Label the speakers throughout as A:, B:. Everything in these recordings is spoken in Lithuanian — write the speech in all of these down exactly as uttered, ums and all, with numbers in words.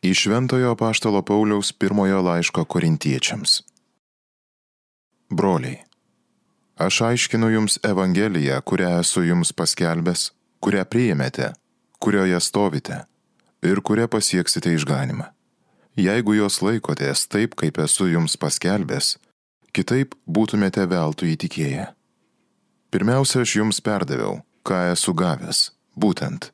A: Iš Šventojo apaštalo Pauliaus pirmojo laiško Korintiečiams. Broliai, aš aiškinu jums Evangeliją, kurią esu jums paskelbęs, kurią priėmėte, kurioje stovite ir kurią pasieksite išganimą. Jeigu jos laikotės taip, kaip esu jums paskelbęs, kitaip būtumėte veltui įtikėję. Pirmiausia, aš jums perdaviau, ką esu gavęs, būtent.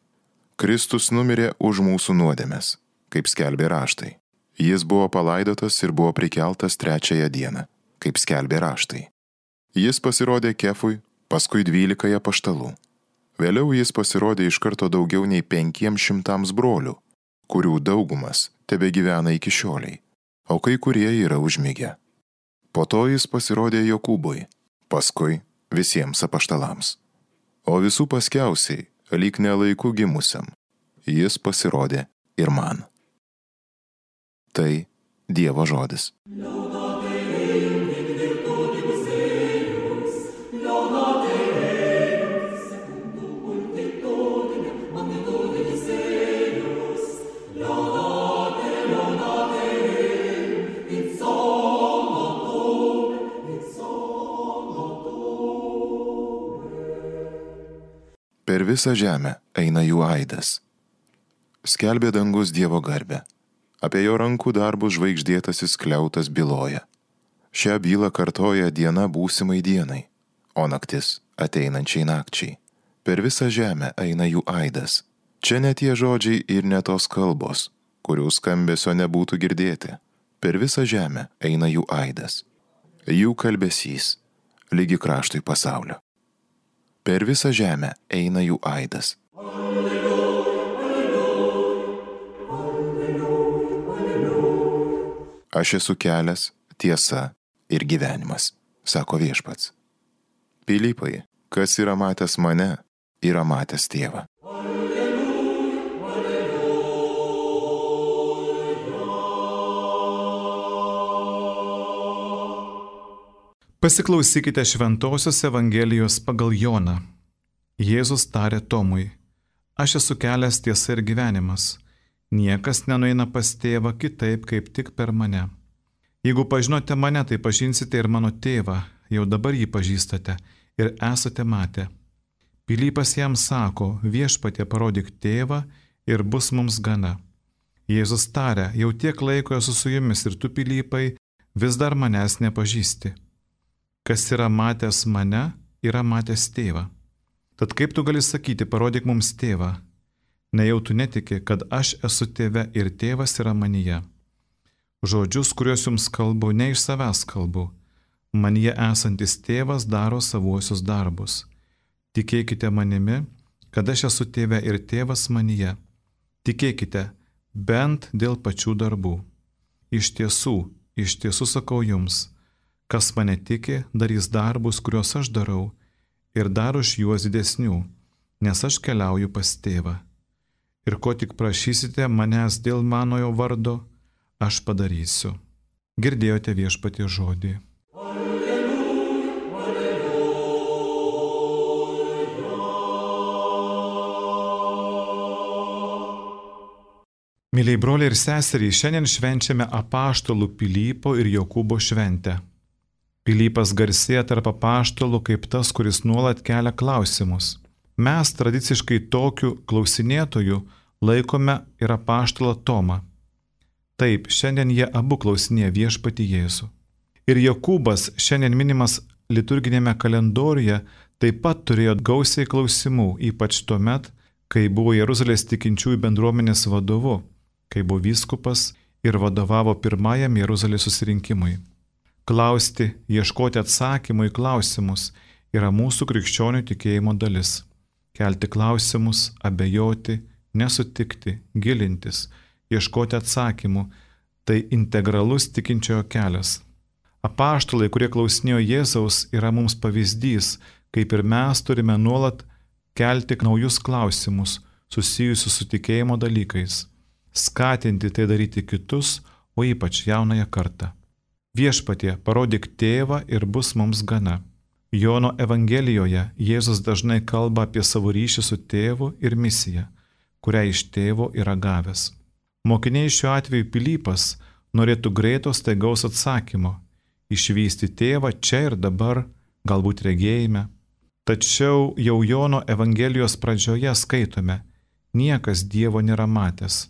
A: Kristus numirė už mūsų nuodėmes, kaip skelbė raštai. Jis buvo palaidotas ir buvo prikeltas trečiąją dieną, kaip skelbė raštai. Jis pasirodė Kefui, paskui dvylikai apaštalų. Vėliau jis pasirodė iš karto daugiau nei penkiems šimtams brolių, kurių daugumas tebegyvena iki šioliai, o kai kurie yra užmigę. Po to jis pasirodė Jokūbui, paskui visiems apaštalams. O visų paskiausiai, lyg nelaiku gimusiam, jis pasirodė ir man. Tai Dievo žodis. Per visą žemę eina jų aidas. Skelbė dangus Dievo garbę. Apie jo rankų darbus žvaigždėtasis skliautas byloja. Šią bylą kartoja diena būsimai dienai, o naktis ateinančiai nakčiai. Per visą žemę eina jų aidas. Čia ne tie žodžiai ir ne tos kalbos, kurių skambesio nebūtų girdėti. Per visą žemę eina jų aidas. Jų kalbesys, lygi kraštui pasaulio. Per visą žemę eina jų aidas. Aš esu kelias, tiesa ir gyvenimas, sako Viešpats. Pilypai, kas yra matęs mane, yra matęs Tėvą.
B: Pasiklausykite Šventosios Evangelijos pagal Joną. Jėzus tarė Tomui: Aš esu kelias, tiesa ir gyvenimas. Niekas nenueina pas Tėvą kitaip, kaip tik per mane. Jeigu pažinote mane, tai pažinsite ir mano Tėvą, jau dabar jį pažįstate ir esate matę. Pilypas jam sako: Viešpatie, parodyk Tėvą ir bus mums gana. Jėzus tarė: Jau tiek laiko esu su jumis ir tu, Pilypai, vis dar manęs nepažįsti. Kas yra matęs mane, yra matęs Tėvą. Tad kaip tu gali sakyti, parodyk mums Tėvą? Nejau tu netiki, kad aš esu Tėve ir Tėvas yra manyje. Žodžius, kuriuos jums kalbu, ne iš savęs kalbu. Manyje esantis Tėvas daro savuosius darbus. Tikėkite manimi, kad aš esu Tėve ir Tėvas manyje. Tikėkite bent dėl pačių darbų. Iš tiesų, iš tiesų sakau jums, kas mane tiki, darys darbus, kuriuos aš darau, ir dar už juos didesnių, nes aš keliauju pas Tėvą. Ir ko tik prašysite manęs dėl manojo vardo, aš padarysiu. Girdėjote Viešpaties žodį.
C: Alleluja, alleluja.
B: Myliai broliai ir seseriai, šiandien švenčiame apaštalų Pilypo ir Jokūbo šventę. Pilypas garsėja tarp apaštalų kaip tas, kuris nuolat kelia klausimus. Mes tradiciškai tokiu klausinėtoju laikome ir apaštalą Tomą. Taip, šiandien jie abu klausinėja Viešpatį Jėzų. Ir Jokūbas, šiandien minimas liturginėme kalendoriuje, taip pat turėjo gausiai klausimų, ypač tuomet, kai buvo Jeruzalės tikinčiųjų bendruomenės vadovu, kai buvo vyskupas ir vadovavo pirmajam Jeruzalės susirinkimui. Klausti, ieškoti atsakymų į klausimus yra mūsų krikščionių tikėjimo dalis. Kelti klausimus, abejoti, nesutikti, gilintis, ieškoti atsakymų – tai integralus tikinčiojo kelias. Apaštalai, kurie klausinėjo Jėzaus, yra mums pavyzdys, kaip ir mes turime nuolat kelti naujus klausimus susijusius su tikėjimo dalykais, skatinti tai daryti kitus, o ypač jaunąją kartą. Viešpatie, parodyk Tėvą ir bus mums gana. Jono Evangelijoje Jėzus dažnai kalba apie savo ryšį su Tėvu ir misiją, kurią iš Tėvo yra gavęs. Mokiniai šiuo atveju Pilypas norėtų greito staigaus atsakymo, išvysti tėvą čia ir dabar, galbūt regėjime. Tačiau jau Jono Evangelijos pradžioje skaitome, niekas Dievo nėra matęs,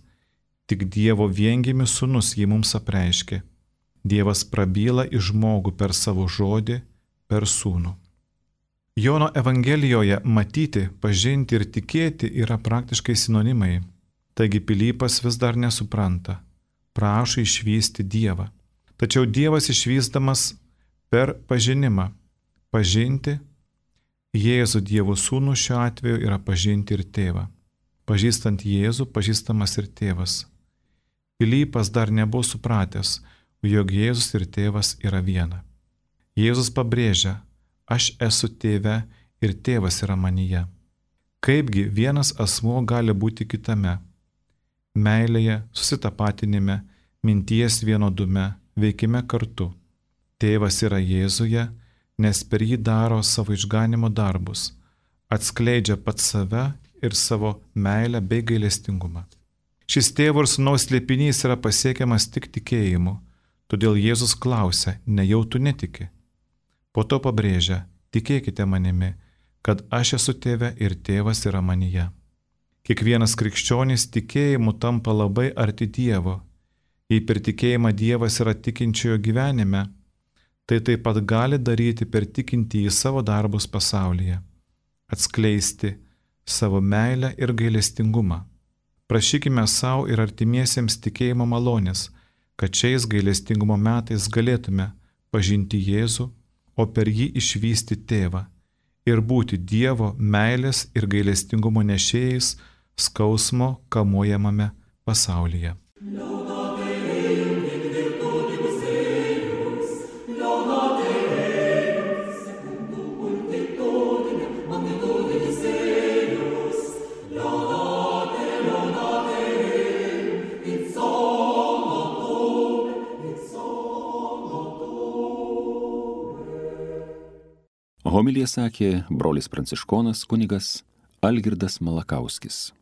B: tik Dievo viengimius sūnus jį mums apreiškė. Dievas prabyla į žmogų per savo žodį, per sūnų. Jono Evangelijoje matyti, pažinti ir tikėti yra praktiškai sinonimai. Taigi Pilypas vis dar nesupranta, prašo išvysti Dievą. Tačiau Dievas išvystamas per pažinimą. Pažinti Jėzų Dievo sūnų šiuo atveju yra pažinti ir tėvą. Pažįstant Jėzų, pažįstamas ir tėvas. Pilypas dar nebuvo supratęs, jog Jėzus ir tėvas yra viena. Jėzus pabrėžia, aš esu tėve ir tėvas yra manyje. Kaipgi vienas asmuo gali būti kitame? Meilėje, susitapatinime, minties vienodume, veikime kartu. Tėvas yra Jėzuje, nes per jį daro savo išganimo darbus, atskleidžia pats save ir savo meilę bei gailestingumą. Šis tėvo ir sūnaus slėpinys yra pasiekiamas tik tikėjimu, todėl Jėzus klausia, nejau tu netiki. Po to pabrėžia, tikėkite manimi, kad aš esu tėve ir tėvas yra manyje. Kiekvienas krikščionis tikėjimu tampa labai arti Dievo. Jei per tikėjimą Dievas yra tikinčiojo gyvenime, tai taip pat gali daryti per tikintį į savo darbus pasaulyje, atskleisti savo meilę ir gailestingumą. Prašykime savo ir artimiesiems tikėjimo malonės, kad šiais gailestingumo metais galėtume pažinti Jėzų, o per jį išvysti tėvą ir būti Dievo meilės ir gailestingumo nešėjais skausmo kamuojamame pasaulyje.
D: Homiliją sakė brolis pranciškonas kunigas Algirdas Malakauskis.